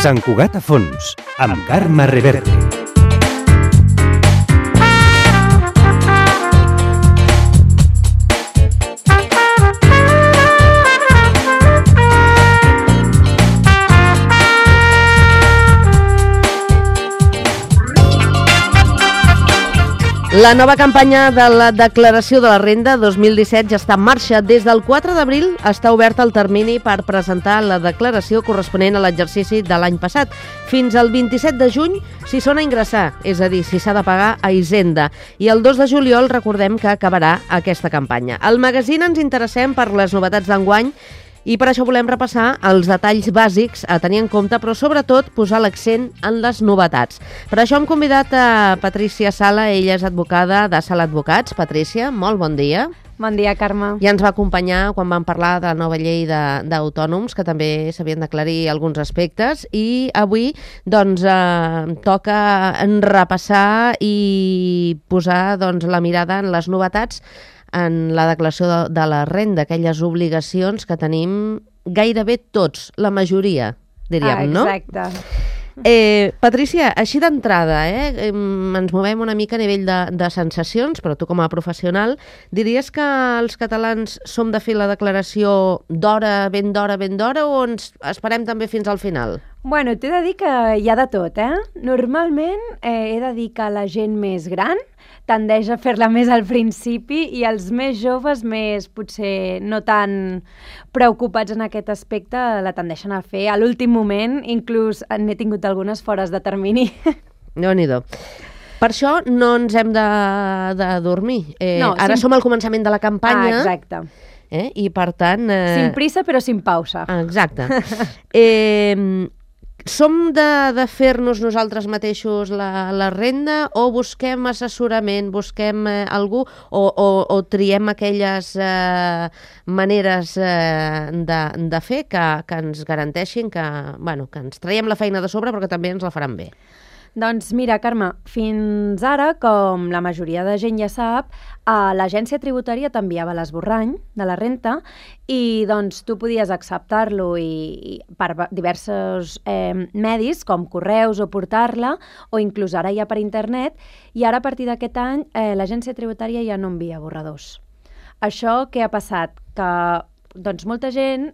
Sant Cugat a fons, amb Carme Reverte. La nova campanya de la declaració de la renda 2017 ja està en marxa. Des del 4 d'abril està obert el termini per presentar la declaració corresponent a l'exercici de l'any passat. Fins al 27 de juny si són a ingressar, és a dir, si s'ha de pagar a Hisenda. I el 2 de juliol recordem que acabarà aquesta campanya. Al magazín ens interessem per les novetats d'enguany i per això volem repassar els detalls bàsics a tenir en compte, però sobretot posar l'accent en les novetats. Per això hem convidat a Patrícia Sala, ella és advocada de Sala Advocats. Patrícia, molt bon dia. Bon dia, Carme. Ja ens va acompanyar quan vam parlar de la nova llei d'autònoms, que també s'havien d'aclarir alguns aspectes, i avui doncs, toca repassar i posar la mirada en les novetats en la declaració de la renda, aquelles obligacions que tenim gairebé tots, la majoria, diríem, no? Exacte. Patrícia, així d'entrada, ens movem una mica a nivell de sensacions, però tu com a professional, diries que els catalans som de fer la declaració ben d'hora, o ens esperem també fins al final? Bueno, t'he de dir que hi ha de tot, Normalment he de dir que la gent més gran tendeix a fer-la més al principi i els més joves, més potser no tan preocupats en aquest aspecte, la tendeixen a fer a l'últim moment, inclús n'he tingut algunes fores de termini. Déu-n'hi-do. Per això no ens hem de dormir. Ara som al començament de la campanya. Exacte. I per tant... Sin prisa però sin pausa. Exacte. Som de fer-nos nosaltres mateixos la renda o busquem assessorament, busquem algú o triem aquelles maneres de fer que ens garanteixin que ens traiem la feina de sobre però que també ens la faran bé? Doncs mira, Carme, fins ara, com la majoria de gent ja sap, l'agència tributària t'enviava l'esborrany de la renta i doncs tu podies acceptar-lo per diversos medis, com correus o portar-la, o inclús ara ja per internet, i ara a partir d'aquest any l'agència tributària ja no envia borradors. Això què ha passat? Que doncs molta gent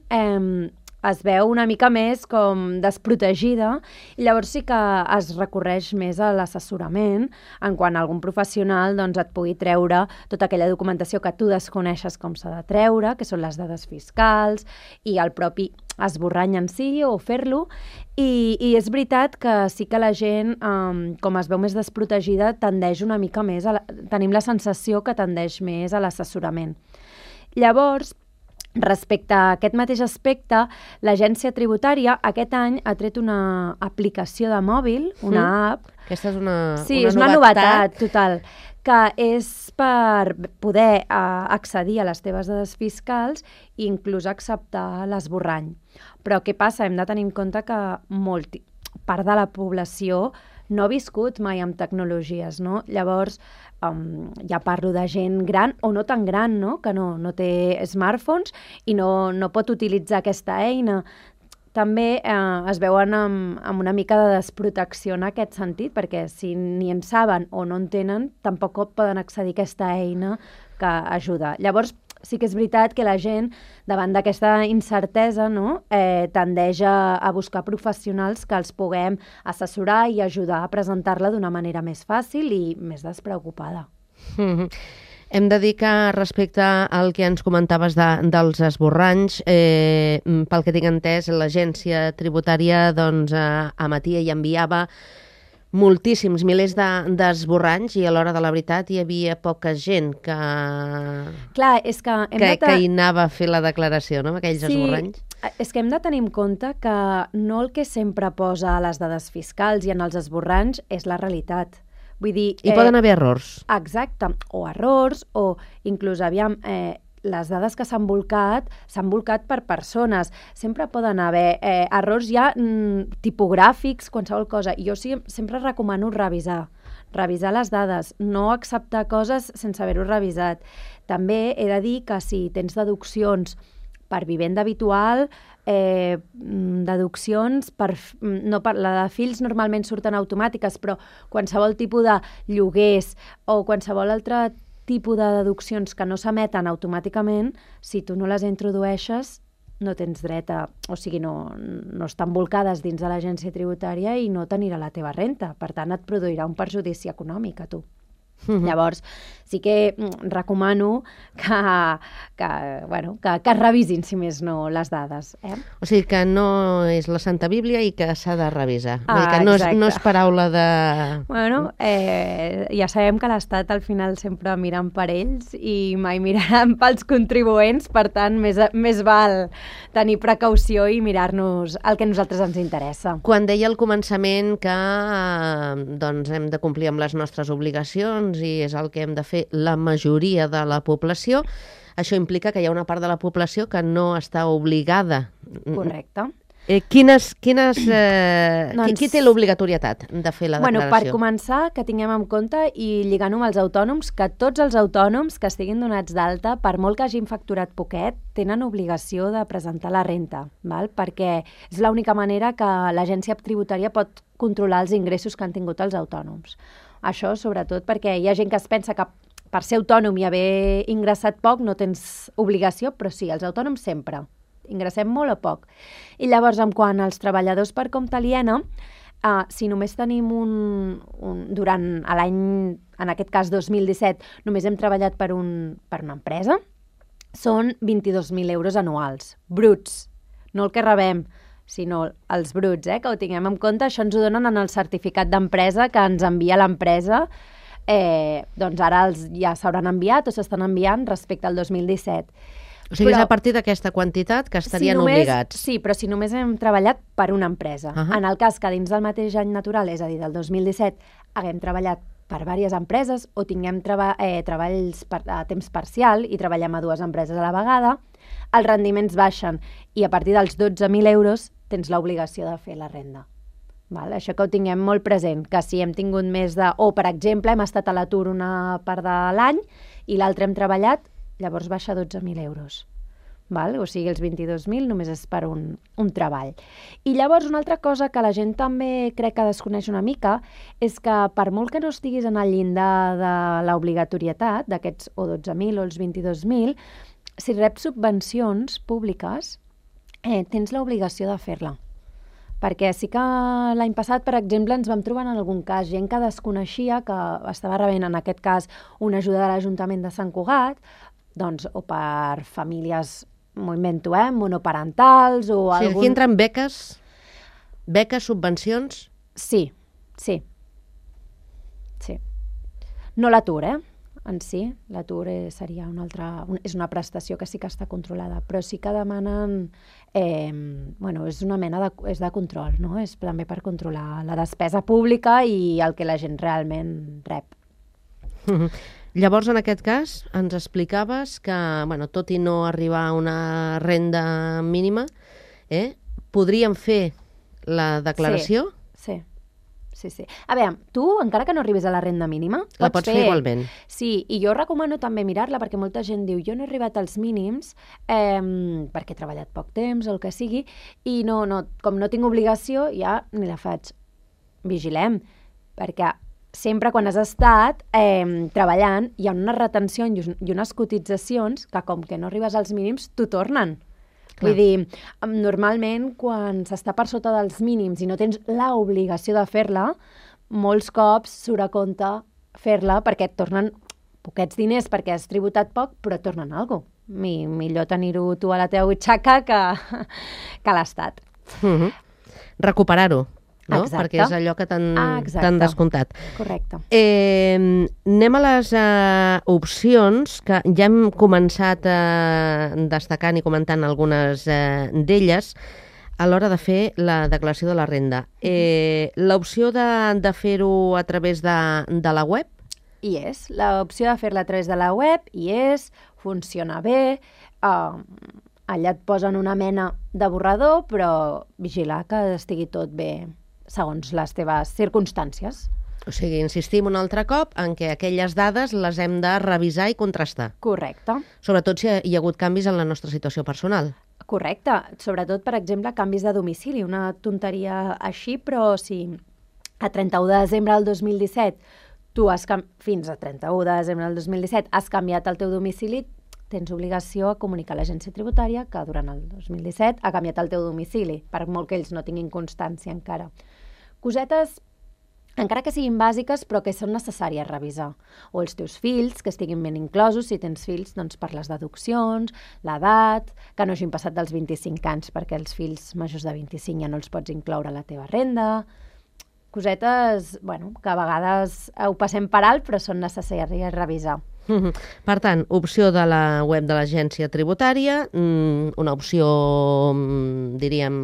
es veu una mica més com desprotegida i llavors sí que es recorreix més a l'assessorament en quan algun professional et pugui treure tota aquella documentació que tu desconeixes com s'ha de treure, que són les dades fiscals i el propi esborrany en si o fer-lo, i és veritat que sí que la gent, com es veu més desprotegida, tendeix una mica més, tenim la sensació que tendeix més a l'assessorament. Llavors, respecte a aquest mateix aspecte, l'agència tributària aquest any ha tret una aplicació de mòbil, una app. Aquesta és una és una novetat total, que és per poder accedir a les teves dades fiscals i inclús acceptar l'esborrany. Però què passa? Hem de tenir en compte que part de la població no ha viscut mai amb tecnologies, no? Llavors, ja parlo de gent gran o no tan gran, no? Que no té smartphones i no pot utilitzar aquesta eina. També es veuen amb una mica de desprotecció en aquest sentit, perquè si ni en saben o no en tenen, tampoc poden accedir a aquesta eina que ajuda. Llavors, sí que és veritat que la gent, davant d'aquesta incertesa, tendeix a buscar professionals que els puguem assessorar i ajudar a presentar-la d'una manera més fàcil i més despreocupada. Hem de dir que respecte al que ens comentaves dels esborranys, pel que tinc entès, l'agència tributària emetia i enviava moltíssims, milers d'esborranys i a l'hora de la veritat hi havia poca gent que hi anava a fer la declaració, no?, amb aquells esborranys. És que hem de tenir en compte que no el que sempre posa a les dades fiscals i en els esborranys és la realitat. Vull dir... Hi poden haver errors. Exacte, o errors, o inclús, les dades que s'han volcat per persones. Sempre poden haver errors ja tipogràfics, qualsevol cosa. Jo sempre recomano revisar les dades, no acceptar coses sense haver-ho revisat. També he de dir que si tens deduccions per vivenda habitual, deduccions, la de fills normalment surten automàtiques, però qualsevol tipus de lloguers o qualsevol altre tipus de deduccions que no s'emeten automàticament, si tu no les introdueixes, no tens dret a... O sigui, no estan volcades dins de l'agència tributària i no t'anirà la teva renta. Per tant, et produirà un perjudici econòmic a tu. Llavors, sí que recomano que es revisin, si més no, les dades. O sigui que no és la Santa Bíblia i que s'ha de revisar. Vull dir que no és paraula de... Bueno, ja sabem que l'Estat al final sempre miren per ells i mai miraran pels contribuents, per tant, més val tenir precaució i mirar-nos el que a nosaltres ens interessa. Quan deia al començament que doncs hem de complir amb les nostres obligacions i és el que hem de fer la majoria de la població, això implica que hi ha una part de la població que no està obligada. Correcte. Qui té l'obligatorietat de fer la declaració? Per començar, que tinguem en compte i lligant-ho amb els autònoms, que tots els autònoms que estiguin donats d'alta, per molt que hagin facturat poquet, tenen obligació de presentar la renta, val? Perquè és l'única manera que l'agència tributària pot controlar els ingressos que han tingut els autònoms. Això, sobretot, perquè hi ha gent que es pensa que per ser autònom i haver ingressat poc no tens obligació, però sí, els autònoms sempre. Ingressem molt o poc. I llavors, quant als treballadors per compte aliena, si només tenim durant l'any, en aquest cas 2017, només hem treballat per una empresa, són 22.000 euros anuals, bruts, no el que rebem, sinó els bruts, que ho tinguem en compte. Això ens ho donen en el certificat d'empresa que ens envia l'empresa. Doncs ara ja s'hauran enviat o s'estan enviant respecte al 2017. O sigui, és a partir d'aquesta quantitat que estarien obligats. Sí, però si només hem treballat per una empresa. En el cas que dins del mateix any natural, és a dir, del 2017, haguem treballat per diverses empreses o tinguem treballs a temps parcial i treballem a 2 empreses a la vegada, els rendiments baixen i a partir dels 12.000 euros tens l'obligació de fer la renda. Val? Això que ho tinguem molt present, que si hem tingut més de... O, per exemple, hem estat a l'atur una part de l'any i l'altre hem treballat, llavors baixa 12.000 euros. Val? O sigui, els 22.000 només és per un treball. I llavors una altra cosa que la gent també crec que desconeix una mica és que per molt que no estiguis en el llindar de l'obligatorietat, d'aquests o 12.000 o els 22.000, si reps subvencions públiques, tens l'obligació de fer-la. Perquè sí que l'any passat, per exemple, ens vam trobar en algun cas gent que desconeixia que estava rebent, en aquest cas, una ajuda de l'Ajuntament de Sant Cugat, doncs, o per famílies, m'ho monoparentals, o algun... Sí, aquí entren beques, subvencions... Sí. No l'atur, en si. L'atur seria és una prestació que sí que està controlada, però sí que demanen... és una mena de control, no? És també per controlar la despesa pública i el que la gent realment rep. Llavors, en aquest cas, ens explicaves que, tot i no arribar a una renda mínima, podríem fer la declaració? Sí. A veure, tu, encara que no arribis a la renda mínima, la pots fer igualment. Sí, i jo recomano també mirar-la, perquè molta gent diu jo no he arribat als mínims perquè he treballat poc temps o el que sigui, i com no tinc obligació, ja ni la faig. Vigilem, perquè sempre quan has estat treballant hi ha unes retencions i unes cotitzacions que com que no arribes als mínims t'ho tornen. Vull dir, normalment quan s'està per sota dels mínims i no tens l'obligació de fer-la, molts cops surt a compte fer-la perquè et tornen poquets diners perquè has tributat poc, però et tornen alguna cosa. Millor tenir-ho tu a la teva butxaca que l'Estat. Recuperar-ho. No? Exacte. Perquè és allò que t'han descomptat. Correcte. Anem a les opcions, que ja hem començat destacant i comentant algunes d'elles a l'hora de fer la declaració de la renda. L'opció de fer-ho a través de la web? Hi és. L'opció de fer-la a través de la web hi és, funciona bé, allà et posen una mena de borrador, però vigilar que estigui tot bé segons les teves circumstàncies. O sigui, insistim un altre cop en què aquelles dades les hem de revisar i contrastar. Correcte. Sobretot si hi ha hagut canvis en la nostra situació personal. Correcte. Sobretot, per exemple, canvis de domicili. Una tonteria així, però si a 31 de desembre del 2017 fins a 31 de desembre del 2017 has canviat el teu domicili, tens obligació a comunicar a l'agència tributària que durant el 2017 ha canviat el teu domicili, per molt que ells no tinguin constància encara. Cosetes, encara que siguin bàsiques, però que són necessàries revisar. O els teus fills, que estiguin ben inclosos, si tens fills, doncs per les deduccions, l'edat, que no hagin passat dels 25 anys, perquè els fills majors de 25 ja no els pots incloure a la teva renda. Cosetes, bueno, que a vegades ho passem per alt, però són necessàries revisar. Per tant, opció de la web de l'agència tributària, una opció, diríem,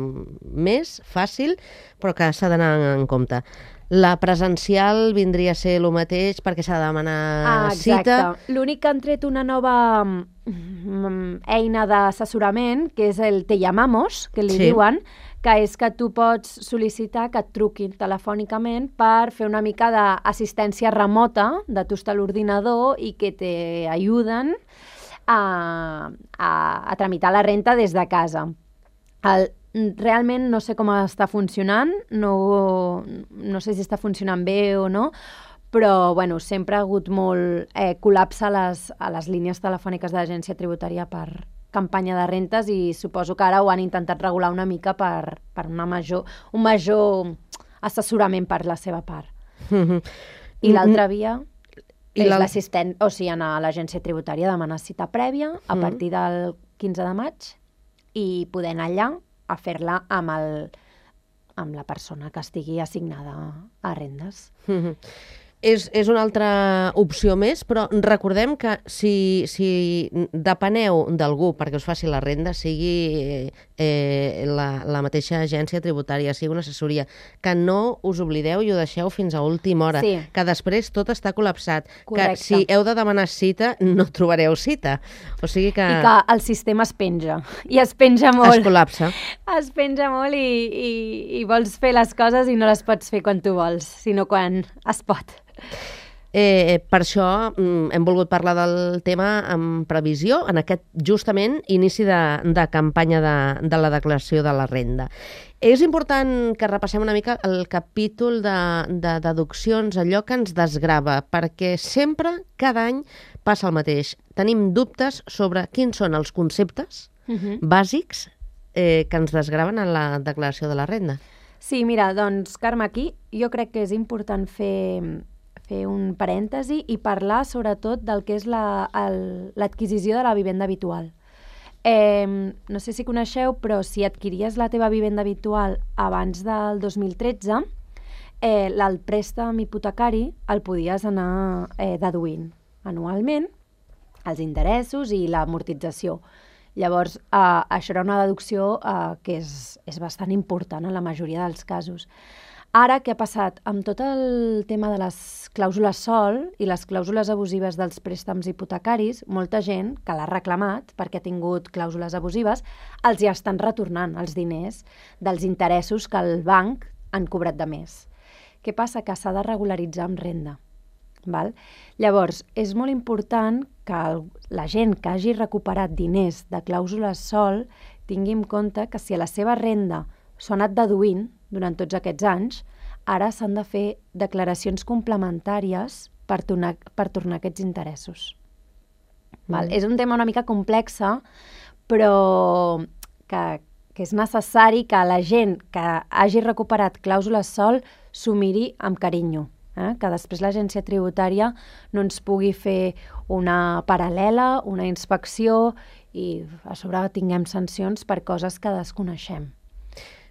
més fàcil, però que s'ha d'anar en compte. La presencial vindria a ser el mateix perquè s'ha de demanar cita. L'únic que han tret una nova eina d'assessorament, que és el Te llamamos, que li diuen, que és que tu pots sol·licitar que et truquin telefònicament per fer una mica d'assistència remota, de tu estar a l'ordinador i que t'ajuden a tramitar la renta des de casa. Realment no sé com està funcionant, no sé si està funcionant bé o no, però bueno, sempre ha hagut molt col·lapse a les línies telefòniques de l'agència tributària per campanya de rentes i suposo que ara ho han intentat regular una mica per un major assessorament per la seva part. I l'altra via és l'assistent, o sigui, anar a l'agència tributària a demanar cita prèvia a partir del 15 de maig i poder anar allà a fer-la amb la persona que estigui assignada a rendes. És una altra opció més, però recordem que si depeneu d'algú perquè us faci la renda, sigui la mateixa agència tributària, sigui una assessoria, que no us oblideu i ho deixeu fins a última hora, que després tot està col·lapsat. Correcte. Que si heu de demanar cita, no trobareu cita. O sigui que... I que el sistema es penja, i es penja molt. Es col·lapsa. Es penja molt i vols fer les coses i no les pots fer quan tu vols, sinó quan es pot. Per això hem volgut parlar del tema amb previsió en aquest, justament, inici de campanya de la declaració de la renda. És important que repassem una mica el capítol de deduccions, allò que ens desgrava, perquè sempre, cada any, passa el mateix. Tenim dubtes sobre quins són els conceptes bàsics que ens desgraven en la declaració de la renda. Sí, mira, doncs, Carme, aquí jo crec que és important fer un parèntesi i parlar sobretot del que és l'adquisició de la vivenda habitual. No sé si coneixeu, però si adquiries la teva vivenda habitual abans del 2013, el préstec hipotecari el podies anar deduint anualment, els interessos i l'amortització. Llavors, això era una deducció que és bastant important en la majoria dels casos. Ara, què ha passat? Amb tot el tema de les clàusules SOL i les clàusules abusives dels préstecs hipotecaris, molta gent que l'ha reclamat perquè ha tingut clàusules abusives, els ja estan retornant els diners dels interessos que el banc han cobrat de més. Què passa? Que s'ha de regularitzar amb renda. Val? Llavors, és molt important que la gent que hagi recuperat diners de clàusules SOL tingui en compte que si a la seva renda s'ho ha anat deduint durant tots aquests anys, ara s'han de fer declaracions complementàries per tornar aquests interessos. Val? És un tema una mica complex, però que és necessari que la gent que hagi recuperat clàusules SOL s'ho miri amb carinyo, que després l'agència tributària no ens pugui fer una paral·lela, una inspecció i a sobre tinguem sancions per coses que desconeixem.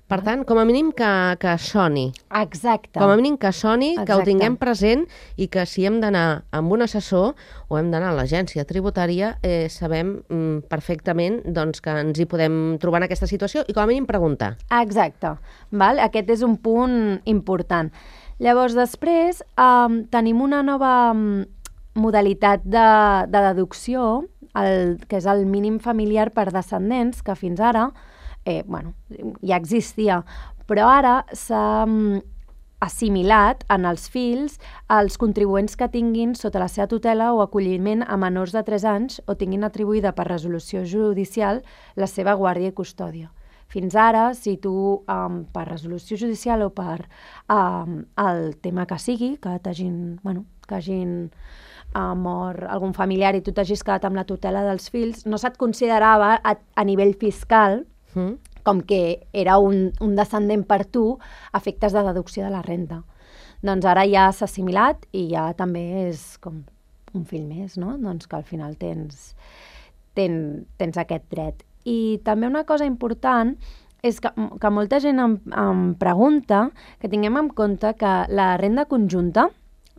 Per tant, com a mínim que soni. Exacte. Com a mínim que soni, que ho tinguem present i que si hem d'anar amb un assessor o hem d'anar a l'agència tributària, sabem perfectament que ens hi podem trobar en aquesta situació i com a mínim preguntar. Exacte. Val? Aquest és un punt important. Llavors, després, tenim una nova modalitat de deducció, que és el mínim familiar per descendents, que fins ara ja existia, però ara s'ha assimilat en els fills els contribuents que tinguin sota la seva tutela o acolliment a menors de 3 anys o tinguin atribuïda per resolució judicial la seva guàrdia i custòdia. Fins ara, si tu, per resolució judicial o per el tema que sigui, que hagin mort algun familiar i tu t'hagis quedat amb la tutela dels fills, no se't considerava a nivell fiscal com que era un descendent per tu a efectes de deducció de la renta. Doncs ara ja s'ha assimilat i ja també és com un fill més, no? Doncs que al final tens aquest dret. I també una cosa important és que molta gent em pregunta que tinguem en compte que la renda conjunta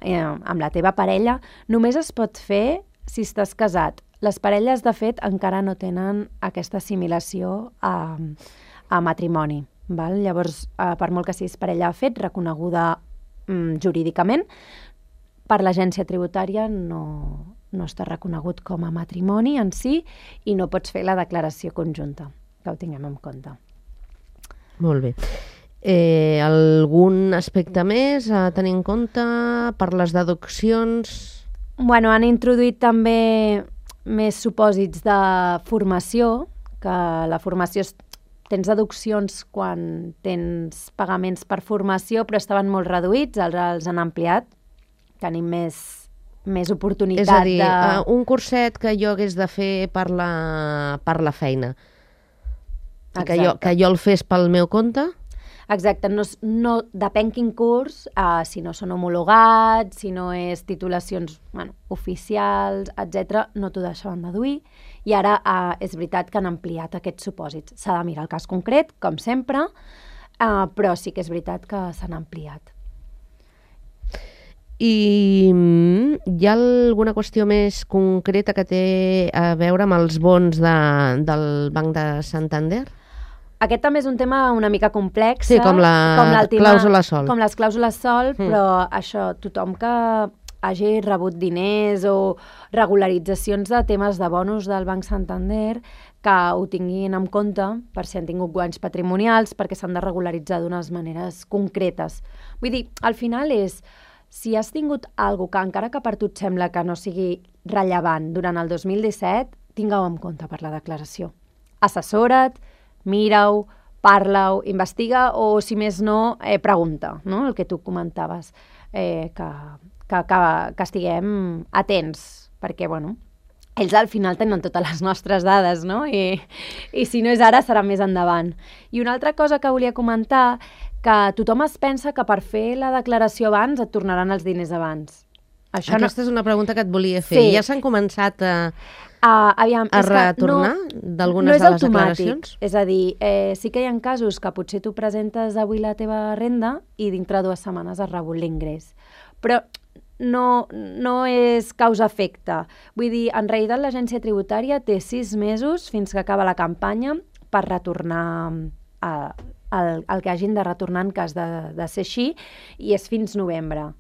amb la teva parella només es pot fer si estàs casat. Les parelles, de fet, encara no tenen aquesta assimilació a matrimoni. Val? Llavors, per molt que siguis parella de fet, reconeguda jurídicament, per l'agència tributària no està reconegut com a matrimoni en si i no pots fer la declaració conjunta, que ho tinguem en compte. Molt bé. Algun aspecte més a tenir en compte per les deduccions? Bueno, han introduït també més supòsits de formació, que la formació tens deduccions quan tens pagaments per formació, però estaven molt reduïts, els han ampliat, tenim més oportunitat. És a dir, un curset que jo hagués de fer per la feina, que jo el fes pel meu compte? Exacte, no depèn quin curs, si no són homologats, si no és titulacions oficials, etc., no t'ho deixaven deduir. I ara és veritat que han ampliat aquests supòsits. S'ha de mirar el cas concret, com sempre, però sí que és veritat que s'han ampliat. I hi ha alguna qüestió més concreta que té a veure amb els bons del Banc de Santander? Aquest també és un tema una mica complex. Sí, com la clàusula sol. Com les clàusules sol, però això, tothom que hagi rebut diners o regularitzacions de temes de bonus del Banc Santander, que ho tinguin en compte per si han tingut guanys patrimonials, perquè s'han de regularitzar d'unes maneres concretes. Vull dir, al final és, si has tingut alguna cosa que encara que per tu et sembla que no sigui rellevant durant el 2017, tingueu en compte per la declaració. Assessora't, mira-ho, parla-ho, investiga o, si més no, pregunta, no? El que tu comentaves, que estiguem atents, perquè, ells al final tenen totes les nostres dades, no? I si no és ara, serà més endavant. I una altra cosa que volia comentar, que tothom es pensa que per fer la declaració abans et tornaran els diners abans. Aquesta és una pregunta que et volia fer. Sí. Ja s'han començat a retornar d'algunes de les declaracions? És a dir, sí que hi ha casos que potser tu presentes avui la teva renda i dintre 2 setmanes has rebut l'ingrés. Però no és causa-efecte. Vull dir, en realitat l'agència tributària té 6 mesos fins que acaba la campanya per retornar el que hagin de retornar en cas de ser així, i és fins novembre.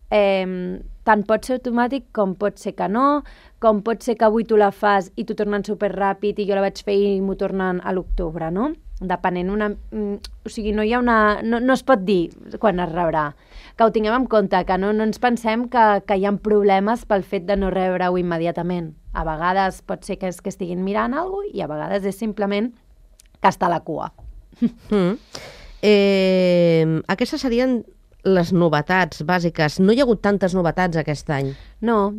Tant pot ser automàtic com pot ser que no, com pot ser que avui tu la fas i t'ho tornen superràpid i jo la vaig fer i m'ho tornen a l'octubre, no? Depenent o sigui, no es pot dir quan es rebrà. Que ho tinguem en compte, que no ens pensem que hi ha problemes pel fet de no rebre-ho immediatament. A vegades pot ser que estiguin mirant alguna cosa i a vegades és simplement que està a la cua. Aquestes serien les novetats bàsiques. No hi ha hagut tantes novetats aquest any. No.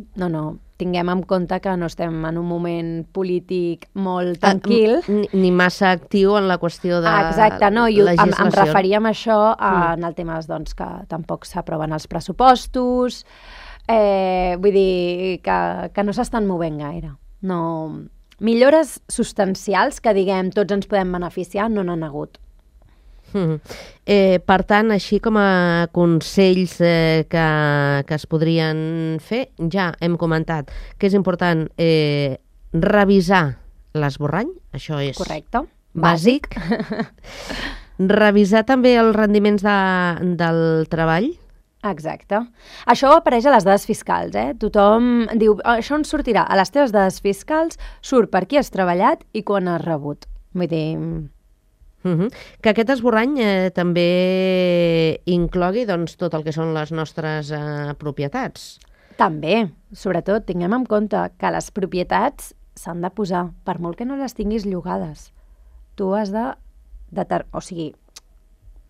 Tinguem en compte que no estem en un moment polític molt tranquil. Ni massa actiu en la qüestió de exacte, no, legislació. Em referia a això en el tema que tampoc s'aproven els pressupostos, vull dir que no s'estan movent gaire. No. Millores substancials que, diguem, tots ens podem beneficiar, no n'han hagut. Per tant, així com a consells que es podrien fer, ja hem comentat que és important revisar l'esborrany, això és correcte, bàsic. Revisar també els rendiments del treball. Exacte. Això apareix a les dades fiscals, Tothom diu, això ens sortirà a les teves dades fiscals, surt per qui has treballat i quan has rebut. Vull dir, Que aquest esborrany també inclogui doncs, tot el que són les nostres propietats. També, sobretot, tinguem en compte que les propietats s'han de posar, per molt que no les tinguis llogades. Tu has de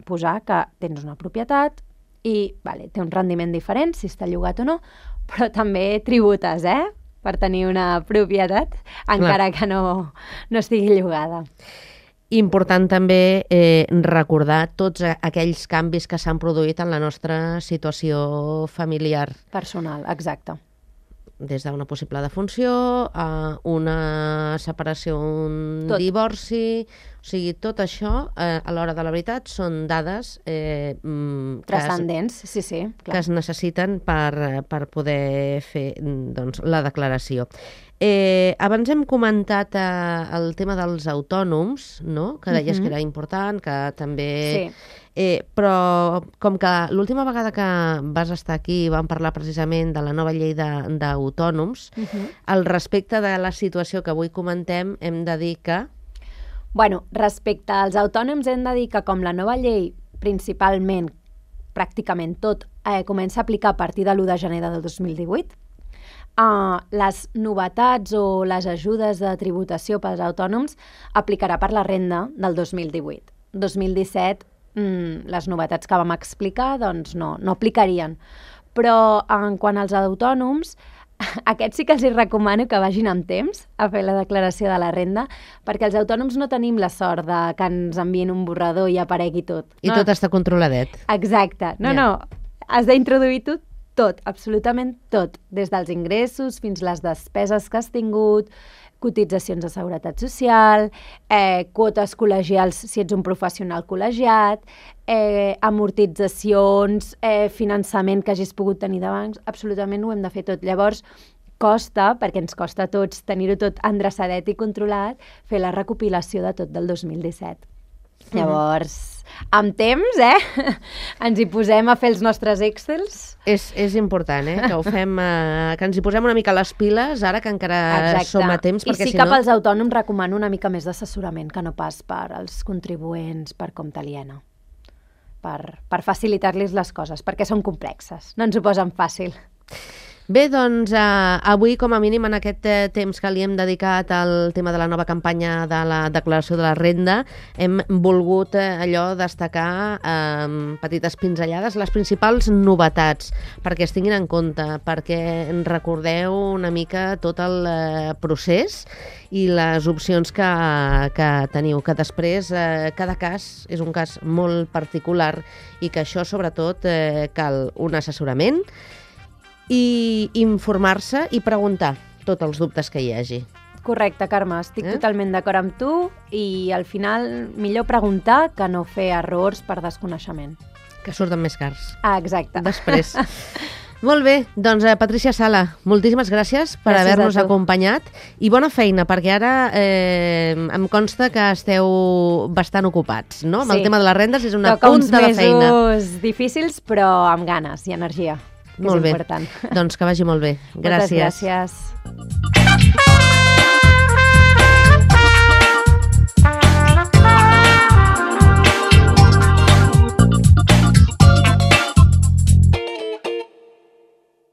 posar que tens una propietat i té un rendiment diferent, si està llogat o no, però també tributes, per tenir una propietat, encara que no estigui llogada. Important també recordar tots aquells canvis que s'han produït en la nostra situació familiar. Personal, exacte. Des d'una possible defunció a una separació, un divorci... O sigui, tot això, a l'hora de la veritat, són dades transcendents, sí, clar, que es necessiten per poder fer la declaració. Abans hem comentat el tema dels autònoms, no? Que deies que era important, que també... Sí. Però com que l'última vegada que vas estar aquí vam parlar precisament de la nova llei d'autònoms, al respecte de la situació que avui comentem hem de dir que... Respecte als autònoms hem de dir que com la nova llei principalment, pràcticament tot, comença a aplicar a partir de l'1 de gener del 2018, les novetats o les ajudes de tributació pels autònoms aplicarà per la renda del 2018. 2017, les novetats que vam explicar doncs no aplicarien. Però en quant als autònoms, aquests sí que els recomano que vagin amb temps a fer la declaració de la renda, perquè els autònoms no tenim la sort de que ens envien un borrador i aparegui tot. I tot està controladet. Exacte. No, has d'introduir tot, absolutament tot, des dels ingressos fins les despeses que has tingut, cotitzacions de seguretat social, quotes col·legials si ets un professional col·legiat, amortitzacions, finançament que hagis pogut tenir de bancs, absolutament ho hem de fer tot. Llavors, costa, perquè ens costa a tots tenir-ho tot endreçadet i controlat, fer la recopilació de tot del 2017. Llavors, amb temps, ens hi posem a fer els nostres Excels. És important, que ho fem, que ens hi posem una mica les piles, ara que encara som a temps, perquè si no... I sí que pels autònoms recomano una mica més d'assessorament, que no pas per als contribuents, per compte aliena, per facilitar-los les coses, perquè són complexes, no ens ho posen fàcil. Bé, doncs avui, com a mínim, en aquest temps que li hem dedicat al tema de la nova campanya de la declaració de la renda, hem volgut allò destacar petites pinzellades, les principals novetats, perquè es tinguin en compte, perquè recordeu una mica tot el procés i les opcions que teniu, que després cada cas és un cas molt particular i que això, sobretot, cal un assessorament i informar-se i preguntar tots els dubtes que hi hagi. Correcte, Carme, estic totalment d'acord amb tu i al final millor preguntar que no fer errors per desconeixement. Que surten més cars. Exacte. Després. Molt bé, doncs Patricia Sala, moltíssimes gràcies per haver-nos acompanyat i bona feina, perquè ara em consta que esteu bastant ocupats, no? Amb el tema de les rendes és una punta de feina. Toca uns mesos difícils, però amb ganes i energia. Molt bé, doncs que vagi molt bé. Gràcies. Moltes gràcies.